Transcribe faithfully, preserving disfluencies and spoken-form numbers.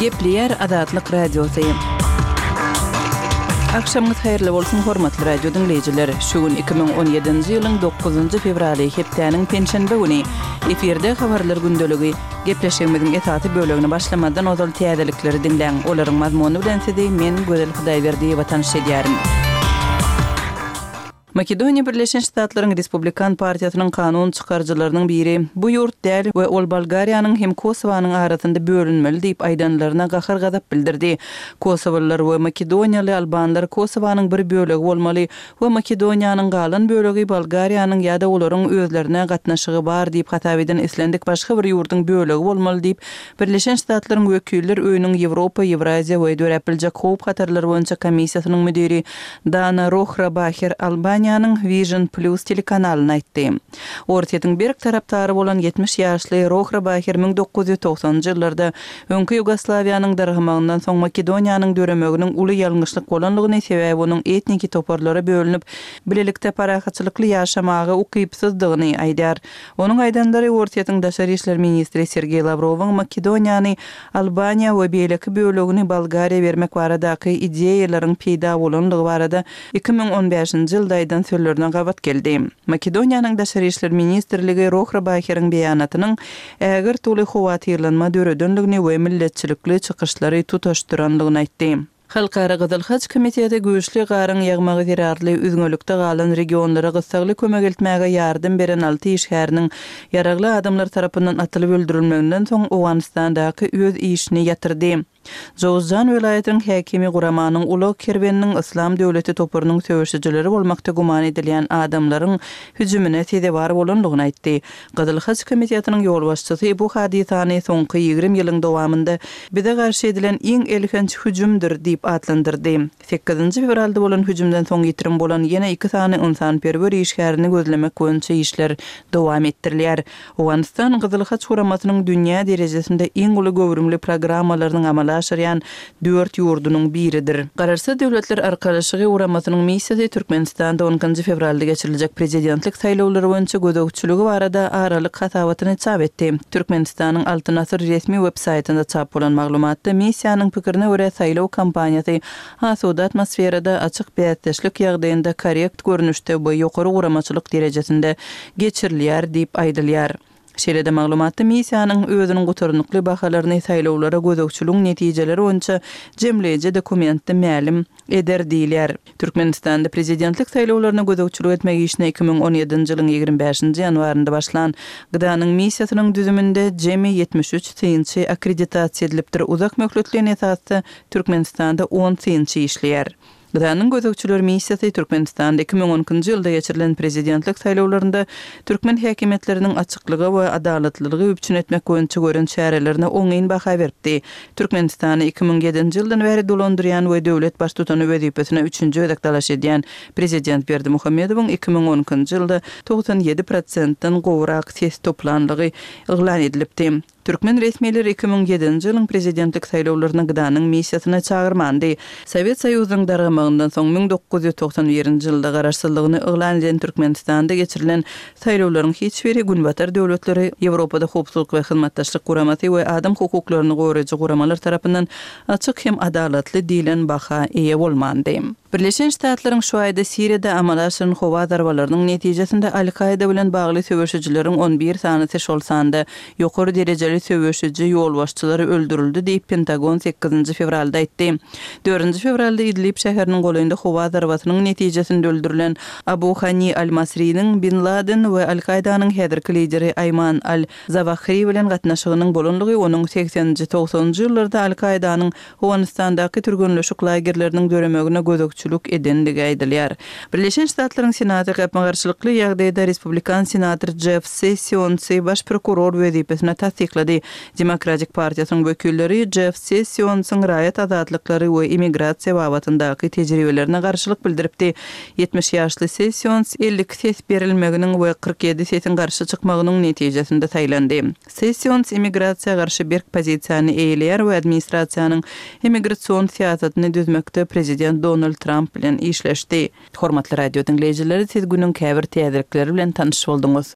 Gepleýär Azatlyk Radiosy. Agşamyňyz haýyrly bolsun, hormatly radio diňleýjiler. Şu gün iki müň on ýedinji ýylyň dokuzynjy fewraly, hepdäniň penşenbe güni. Efirde habarlar gündeligi. Gepleşigimiziň esasy bölegini başlamazdan ozal täzelikleri diňläň. Olaryň mazmuny bilen sizi men Gözel Hudaýberdiýewa tanyş edýärin. Makedoniýa Birleşen Ştatlaryň Respublikan partiýasynyň kanun çykaryjylarynyň biri bu ýurt däl we ol Bolgariýanyň hem Kosowanyň arasynda bölünmeli diýip aýdanlaryna gahar-gazap bildirdi. Kosowalylar we makedoniýaly albanlar Kosowanyň bir bölegi bolmaly we Makedoniýanyň galan bölegi Bolgariýanyň ýa-da olaryň özlerine gatnaşygy bar diýip hasap eden islendik başga bir ýurduň bölegi bolmaly diýip Birleşen Ştatlaryň Wekiller öýüniň Ýewropa, Ýewraziýa we döräp biljek howp hatarlary boýunça komissiýasynyň müdiri Dana Rohrabacher Albaniýanyň Vision Plus telekanalyna aýtdy. Orsýetiň berk tarapdary bolan ýetmiş ýaşly Rohrabacher müň dokuz ýüz togsanynjy ýyllarda öňki Ýugoslawiýanyň dargamagyndan soň Makedoniýanyň döremeginiň uly ýalňyşlyk bolanlygyny, sebäbi onuň etniki toparlara bölünip, bilelikde parahatçylykly ýaşamaga ukypsyzdygyny aýdar. Onuň aýdanlary Orsýetiň daşary işler ministri Sergeý Lawrowyň Makedoniýany Albaniýa we beýleki bölegini Bolgariýa bermek baradaky ideýalaryň peýda bolanlygy barada iki müň on bäşinji ýylda aýdan sözlerine gabat geldi. Makedoniýanyň daşary işler ministrligi Rohrabacheriň beýanatynyň ägirt uly howatyrlanma döredenligini we milletçilikli çykyşlary tutaşdyranlygyny aýtdy. Halkara Gyzyl Haç komiteti güýçli garyň ýagmagy zerarly üzňelikde galan regionlara gyssagly kömek etmäge ýardam beren alty işgäriniň ýaragly adamlar tarapyndan atylyp öldürilmeginden soň Owganystandaky öz işini ýatyrdy. Jowzjan welaýatynyň häkimi guramanyň ulag kerweniniň Islam döwleti toparynyň söweşijileri bolmakda güman edilýän adamlaryň hüjümine sezewar bolanlygyny aýtdy. Gyzyl Haç komitetiniň ýolbaşçysy bu hadysany soňky ýigrimi ýylyň dowamynda bize garşy edilen iň elhenç hüjümdir diýip atlandyrdy. Sekizinji fewralda bolan hüjümden soň ýitirim bolan ýene iki sany ynsanperwer işgärini gözlemek boýunça işler dowam etdirilýär. Owganystan Gyzyl Haç guramasynyň dünýä derejesinde iň uly göwrümli programmalarynyň amala aşyrýan dört ýurdunyň biridir. Garaşsyz Döwletler Arkalaşygy guramasynyň missiýasy Türkmenistanda on ikinji fewralda geçiriljek prezidentlik saýlawlary boýunça gözegçiligi barada aralyk hasabatyny çap etdi. Türkmenistanyň Altyn Asyr resmi web saýtynda çap bolan maglumatda missiýanyň pikirine görä saýlaw kampaniýasy asuda atmosferada açyk bäsdeşlik ýagdaýynda korrekt görnüşde we ýokary guramaçylyk derejesinde geçirilýär diýip aýdylýar. Şeýle-de maglumatda missiýanyň özüniň gutarnykly bahalaryny saýlawlara gözegçiligiň netijeleri boýunça jemleýji dokumentde mälim eder diýilýär. Türkmenistanda prezidentlik saýlawlaryna gözegçilik etmek işine iki müň on ýedinji ýylyň ýigrimi bäşinji ýanwarynda başlan G D A'nyň missiýasynyň düzüminde jemi ýetmiş üç synçy akkreditasiýa edilipdir. Uzak möhletli esasda Türkmenistanda on synçy işleýär. G D A'nyň gözegçiler missiýasy Türkmenistanda iki müň on ikinji ýylda geçirilen prezidentlik saýlawlarynda türkmen häkimiýetleriniň açyklygy we adalatlylygy üpjün etmek boýunça gören çärelerine oňyn baha beripdi. Türkmenistany iki müň ýedinji ýyldan bäri dolandyrýan we döwlet baştutany wezipesine üçünji gezek dalaş edýän prezident Berdimuhamedowyň iki müň on ikinji ýylda togsan ýedi prosentden gowrak ses toplanlygy yglan edilipdi. Türkmen resmileri iki müň ýedinji ýylyň prezidentlik saýlawlaryna G D A'nyň missiýasyna çagyrmandy. Sowet Soýuzynyň dargamagyndan soň müň dokuz ýüz togsan birinji ýylda garaşsyzlygyny yglan eden Türkmenistanda geçirilen saýlawlaryň hiç biri Günbatar döwletleri, Ýewropada howpsuzlyk we hyzmatdaşlyk guramasy we adam hukuklaryny goraýjy guramalar tarapyndan açyk hem adalatly diýlen baha eýe bolmandy. Birleşen Ştatlaryň şu aýda Siriýada amala aşyran howa zarbalarynyň netijesinde Al-Kaida bilen bagly söweşijileriň on bir sanysy şol sanda ýokary derejeli söweşiji ýolbaşçylary öldürildi diýip Pentagon sekizinji fewralda aýtdy. Dördünji fewralda Idlib şäheriniň golaýynda howa zarbasynyň netijesinde öldürilen Abu Hani Al-Masriniň Bin Laden we Al-Kaidanyň häzirki lideri Aýman Al-Zawahri bilen gatnaşygynyň bolanlygy onuň sekseninji togsanynjy ýyllarda Al-Kaidanyň Owganystandaky türgenleşik lagerleriniň döremegine gözegçilik edendigi aýdylýar. Birleşen Ştatlaryň Senaty gapma-garşylykly ýagdaýda Respublikan senator Jeff Sessionsy baş prokuror wezipesine tassyklady. Demokratik partiýasynyň wekilleri Jeff Sessionsyň raýat azatlyklary we immigrasiýa babatyndaky tejribelerine garşylyk bildiripdi. Ýetmiş ýaşly Sessions elli iki ses berilmeginiň we kyrk ýedi sesiň garşy çykmagynyň netijesinde saýlandy. Sessions immigrasiýa garşy berk pozisiýany eýeleýär we administrasiýanyň immigrasion syýasatyny düzmekde prezident Donald Trump bilen işleşdi. Hormatly radio diňleýjileri, siz günüň käbir täzelikleri bilen tanyş bolduňyz.